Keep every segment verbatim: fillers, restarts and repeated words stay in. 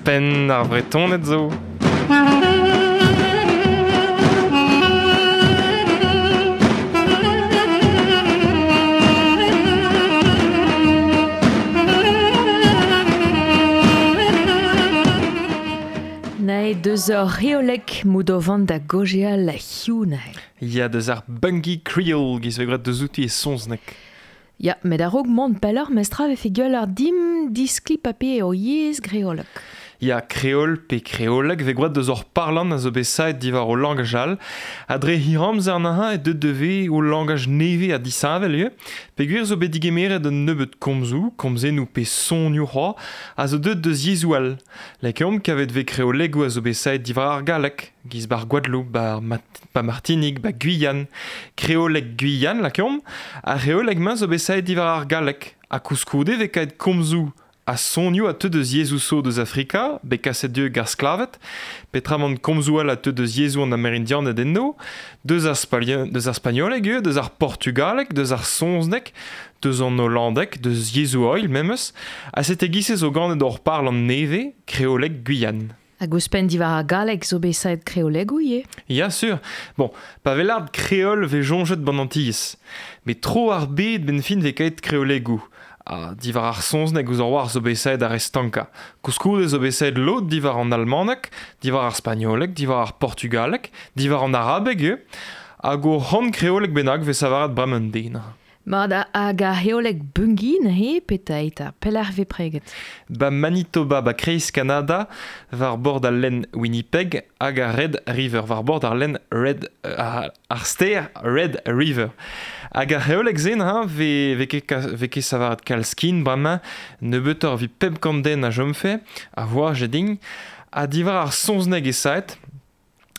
Penn ar Vretoned zo. Nae deus ur reolek moudovant da gojeal la hiu nae. Ya deus ar Bungie Creole giz ve gret deus outi e sonznek. Ya, met a-raok mont pelloc'h mestra vefe gwell ar dim diskli pape o yezh greolek. Ya kreol pe kreoleg ve gwad deus ur parlant a zo bet saet diwar o langaj all, a dre hiramzer an e deut deve o langaj neve a disheñvel eo, peogwir zo bet digemeret un nebeud komzoù, komzennoù pe sonioù c'hoazh, a zo deut deus yezhoù all. Lakaomp kavet ve kreolegoù a zo bet saet diwar ar galleg, giz bar Gwadeloup, bar Mat- ba Martinik, ba Guyane, kreoleg Guyane lakaomp, ar c'hreoleg-mañ zo bet saet diwar ar galleg, ha koulskoude ve kaet komzoù a sonioù a teu deus yezhoù so deus Afrika, bet kaset dieub gar sklavet, petramant komzoù all a teu deus yezhoù an Amerindianed enno, deus ar spagn- deus ar spagnoleg eo, deus ar portugaleg, deus ar soñzneg, deus an hollandeg, deus yezhoù oil memes, ha sete giz-se zo ganet hor parlant neve, kreoleg Guyane. Hag ouzhpenn diwar ar galleg zo bet saet kreolegoù ivez. Ya sur. Bon, pa vez lard kreol vez soñjet ban Antilles. Met tro ar bed ben fin vez kaet kreolegoù. Ha diwar ar soñzneg ouzh ar war zo bet saet ar estanka. Koulskoude zo bet saet lod diwar an almaneg, diwar ar spagnoleg, diwar ar portugaleg, diwar an arabeg eo. Hag o c'hant kreoleg bennak vez savaret bremañ un den. Mat hag ar c'hreoleg Bungie neuze petra eta, pelec'h vez preget? Ba Manitoba, ba kreiz Kanada, war bord al lenn Winnipeg hag ar Red River, war bord ar lenn Red, ar, ar stêr Red River. Hag ar c'hreoleg-se neuze vez, vez ket ka-, vez ket savaret kalz kin bremañ, nebeutoc'h evit pemp kant den a chomfe, a voar jedin, ha diwar ar soñzneg e saet,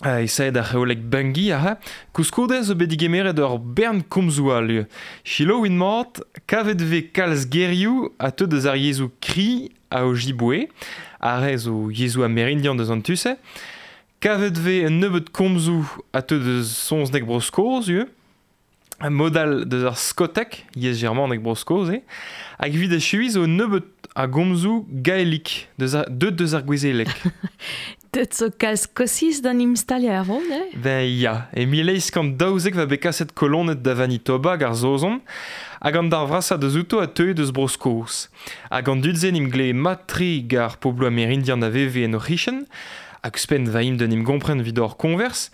e saet ar c'hreoleg Bungie aze, koulskoude zo bet digemeret ur bern komzoù all eo. Selaouit mat, kavet vez kalz gerioù a teu deus ar yezhoù Kri a Ojibwe, ar re zo yezhoù amerindian deus an tu-se. Kavet vez un nebeud komzoù a teu deus soñzneg Bro-Skos eo. Un modal deus ar skoteg, yezh germanek Bro-Skos eo. Hag evit echuiñ zo un nebeud a gomzoù gaelik, deus ar, deut deus ar gouezeleg. Deut zo kalz Skosiz d'an imstaliañ ar vro, ne? Ben ya, e mil eizh kant daouzek va bet kaset koloned da Vanitoba hag ar Saozon, hag an dar vrasañ deus outo a teue deus Bro-Skos. Hag an dud-se n'im glee mat-tre gar pobloù amerindian a veve en o c'hichen, hag ouzhpenn va im d'un im gompren evit hor konvers,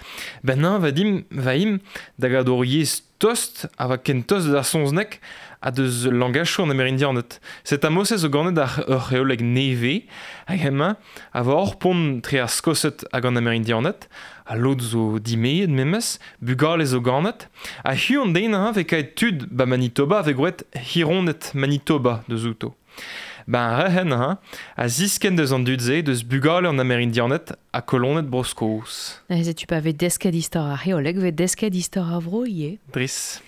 ben nan va dim, va im da gad hor yezh tost, a va ken tost deus ar soñzneg, ha deus langachoù an Amerindianed. Set amose zo ganet ar ur c'hreoleg neve, hag hemañ a va hor pont tre ar Skosed hag an Amerindianed, ha lod zo dimeet memes, bugale zo ganet, ha hiziv an den ha vez kaet tud ba Manitoba vez gwraet hironed Manitoba deus outo. Ben rehen ha, a zisken deus an dud-se deus bugale an Amerindianed ha koloned Bro-Skos. Neuze tu pa vez desket istor ar c'hreoleg, vez desket istor ar vro ivez. Dris.